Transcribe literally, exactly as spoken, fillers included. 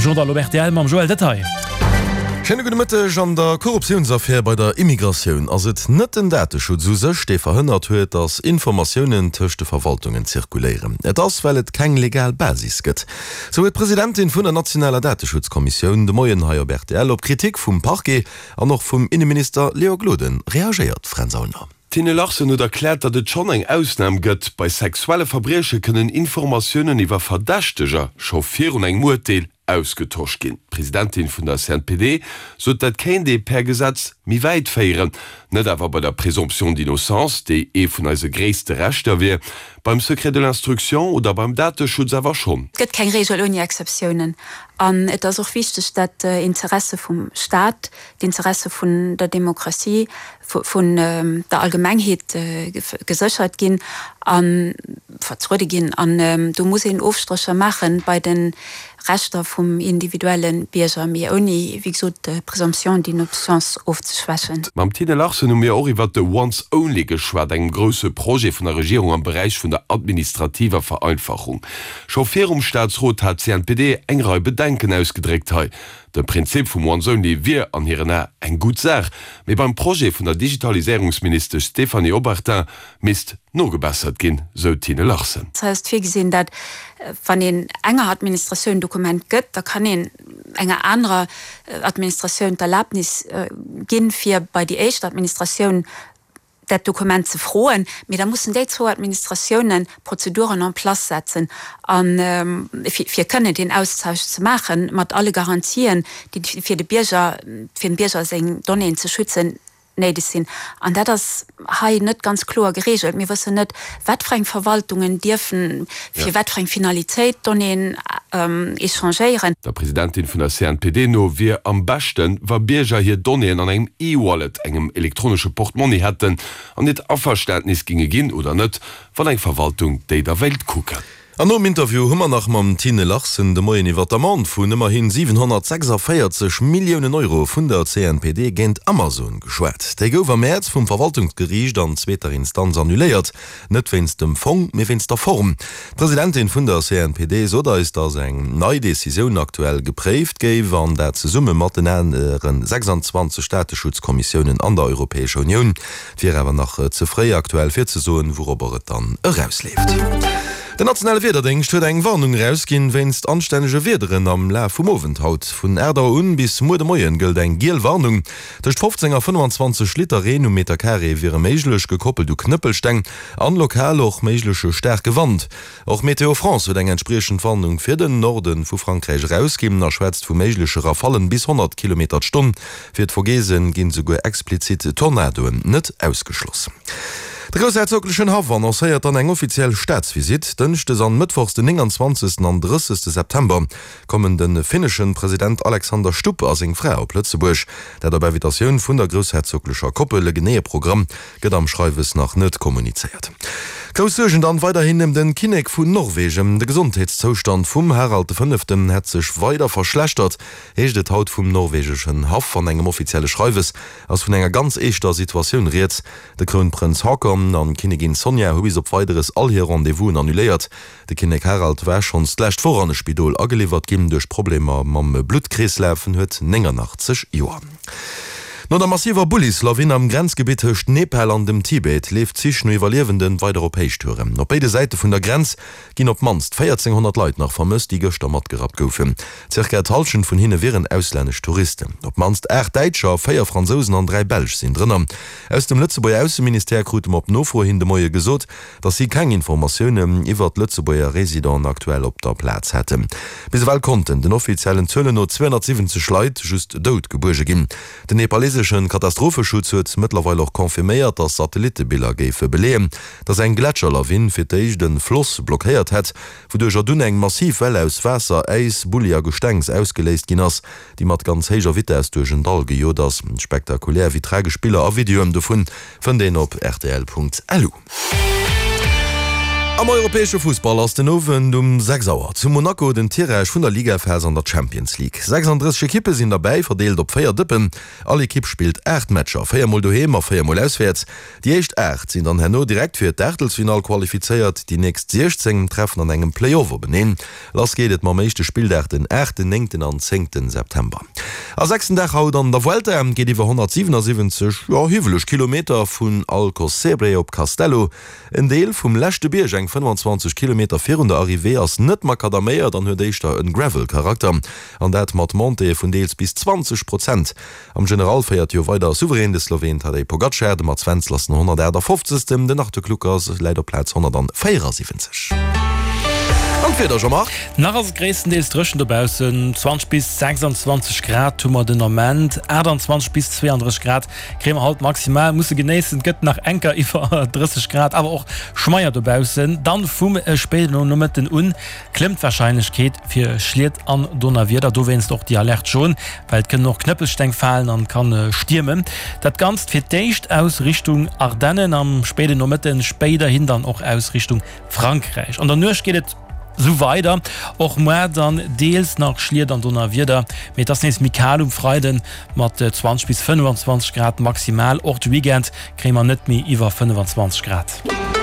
De Journal op rtl mam Joël Detaille. Schéine gudde Mëtteg. An der Korruptiounsaffär bei der Immigratioun ass et net den Dateschutz u sech, dee verhënnert huet, datt Informatiounen tëscht de Verwaltungen zirkuléieren. Et ass, well et keng legal Basis gëtt. Sou huet d'Presidentin vun der nationaler Dateschutzkommissioun de Moien hei op rtl op Kritik vum Parquet an och vum Inneminister Léon Gloden reagéiert. Fränz Aulner. D'Tine Larsen huet erkläert, datt et schonn eng Ausnam gëtt, Bei sexuelle Verbrieche kënnen Informatiounen iwwer Verdächteger scho virun engem Urteel ausgetosch ginn. D'Presidentin vun der CNPD sot, dat kéint ee per Gesetz méi wäit féieren, net awer bei der Présomption d'innocence, déi ee vun eise gréisste Rechter wier, beim Secret de l'instruction oder beim Dateschutz awer schonn. Et gëtt keng Reegel ouni Exceptiounen. An et ass och wichteg, datt d'Interesse vum Staat, d'Interesse vun der Demokratie, vun der Allgemengheet geséchert ginn a vertruede ginn. An do muss een Ofstrécher maache bei de Rechter vum individuelle Bierger, mee ouni, wéi gesot, d'Présomption d'innocence ofzeschwächen. Mam Tine Larsen hu mir och iwwert de Once Only geschwat, engem grousse Projet vun der Regierung am Beräich vun der administrativer Vereinfachung. Scho virum Staatsrot hat d'CNPD eng Rei Bedenken ausgedréckt. Hei de Prinzip vum Once Only wier an hiren Ae eng gutt Saach, mee beim Projet vun der Digitaliséierungsministesch Stéphanie Obertin misst nogebessert ginn, sou d'Tine Larsen. Hei ass virgesinn, dat wann een enger Administratioun en Dokument gëtt, da kann een enger anerer Administratioun d'Erlaabnis ginn, fir bei déi éischt Administratioun dat Dokument ze froen, mee da mussen déi zwou Administratiounen Prozeduren en place setzen, a fir kënnen deen Austausch ze maachen, mat alle Garantien, déi fir de Bierger, fir dem Bierger seng Donnéeën ze schützen, néideg sinn. An dat ass hei net ganz kloer geregelt. Mir wëssen net, wat fir eng Verwaltungen dierfen fir wat fir eng Finalitéit Donnéeën échangéieren. Der Presidentin vun der CNPD no wier am beschten, wa Bierger hir Donnéeën an engem E-Wallet, engem elektronesche Portmonni hätten an hiert Averständnis ginge ginn oder net, wann eng Verwaltung déi da wéilt kucken. An nom Interview hu mer nach mam Tine Larsen de Moien iwwer d'Amende vun ëmmerhi siwenhonnertsechsaféierzeg Milliounen Euro vun der C N P D géint Amazon geschwat. Déi gouf am Mäerz vum Verwaltungsgeriicht an zweeter Instanz annuléiert. Net wéinst dem Fong, mee wéinst der Form. D'Presidentin vun der C N P D sot eis, datt eng nei Decisioun aktuell gepréift géif, an dat zesumme mat den anere sechsanzwanzeg Dateschutzkommissiounen an der Europäescher Unioun. Et wier awer nach ze fréi aktuell fir ze soen, wourobber et dann erausleeft. Den nationale Wiederdéngscht huet eng Warnung erausginn wéinst anstännege Wiederen am Laf vum Owend haut. Vun aacht Auer un bis muer de Moien gëllt eng giel Warnung. Tëscht fofzéng a fënnefanzwanzeg Liter Reen um Meterkaree wiere méiglech, gekoppelt u Knëppelsteng an lokal och méigleche staarke Wand. Och Météo France huet eng entspriechend Warnung fir den Norde vu Frankräich erausginn a schwätzt vu méigleche Rafallen bis honnert Kilometer d'Stonn. Fir d'Vogesen ginn souguer explizit Tornadoen net ausgeschloss. De groussherzoglechen Haff annoncéiert dann eng offiziell Staatsvisitt. Dënschdes an mëttwochs den nénganzwanzegsten an drëssegste September kommen de finneschen President Alexander Stubb a seng Fra op Lëtzebuerg. Dat op Invitatioun vun der groussherzoglecher Koppel. E geneeë Programm gëtt am Schreiwes nach net kommunizéiert. Grouss Suergen dann weiderhin ëm den Kinnek vun Norwegen. De Gesondheetszoustand vum Harald de Fënneften hätt sech weider verschlechtert, heescht et haut vum norwegeschen Haff. An engem offizielle Schreiwes ass vun enger ganz eeschter Situatioun rieds. De Krounprënz Haakon an d'Kinnigin Sonja hu bis op Weideres all hir Rendez-vousen annuléiert. De Kinnek Harald war schonns d'lescht Woch an e Spidol ageliwwert ginn duerch Problemer mam Bluttkreeslaf. En huet néngannachtzeg Joer. No der massiver Bullislawin am Grenzgebitt tëscht Nepal an dem Tibet leeft d'Sich no Iwwerliewenden weider op Héichtouren. Op béide Säite vun der Grenz ginn op d'mannst véierzénghonnert Leit nach vermësst, déi gëschter matgerappt goufen. Zirka d'Hallschent vun hinne wieren auslännesch Touristen. Op d'mannst aacht Däitscher, véier Fransousen an dräi Belsch sinn drënner. Aus dem Lëtzebuerger Ausseministère krute mer op Nofro hin de Moie gesot, datt si keng Informatiounen iwwert Lëtzebuerger Residenten aktuell op der Plaz hätten. Bis ewell konnten den offiziellen Zuelen no zweehonnertsiwwenzeg Leit just dout gebuerge ginn. Den nepaleseschen Katastropheschutz huet mëttlerweil och confirméiert, datt Satellittebiller géife beleeën, datt eng Gletscherlawin fir d'éischt e Floss blockéiert hätt, wouduercher dunn eng massiv Well aus Waasser, Äis, Bulli a Gestengs ausgeléist ginn ass, déi mat ganz héijer Vitess duerch en Dall gejot ass. Spektakulär wéi tragesch Biller a Videoen dovun fënnt een op rtl Punkt lu. Am europäesche Fussball ass den Owend um sechs Auer zu Monaco den Tirage vun der Ligaphas an der Champions League. sechsunddrësseg Ekippe sinn derbäi, verdeelt op véier Dëppen. All Ekipp spillt aacht Matcher, véier Mol doheem a véier Mol auswäerts. Déi éischt aacht sinn dann herno direkt fir d'Aachtelsfinall qualifizéiert, déi nächst siechzéng treffen an engem Play-off openeen. Lass geet et mam éischte Spilldag den aachten, néngten an zéngten September. A sechsten Dag haut an der Vuelta geet iwwer honnertsiwenasiwwenzeg, jo hiwweleg Kilometer vun Alcossebre op Castello. En Deel vum leschte Bierg, eng fënnwanzwanzeg Kilometer virun der Arrivée, ass net makadaméiert an huet éischter en Gravel-Charakter, an dat mat Montéeë vun deels bis zwanzeg Prozent. Am General féiert jo weider souverän de Sloween Tadej Pogacar, de Mats Wenzel ass den honnertaachtafoffzegsten, den Arthur Kluckers läit op Plaz honnertvéierasiwwenzeg. An d'Wieder, Jean-Marc? Nach ass et gréisstendeels dréchen dobaussen, zwanzeg bis sechsundzwanzeg Grad hu mer den Ament, aachtandzwanzeg bis zweeandrësseg Grad kréie mer haut maximal musse genéissen. Et gëtt nach enker iwwer drësseg Grad, awer och schmeier dobaussen. Dann vum spéiden Nomëtten un klëmmt d'Warscheinlechkeet fir Schliet an Donnerwieder, dowéinst och déi Alerte jaune, well et kënnen och Knëppelsteng falen an et kann stiermen. Dat Ganzt fir d'éischt aus Richtung Ardennen am spéiden Nomëtten, spéiderhin dann och aus Richtung Frankräich. An der Nuecht geet et sou weider, och muar dann deels nach Schliet an Donnerwieder, mee et ass nees méi kal um Freiden mat zwanzeg bis fënnefanzwanzeg Grad maximal. Och de Weekend kréie mer net méi iwwer fënnefenzwanzeg Grad.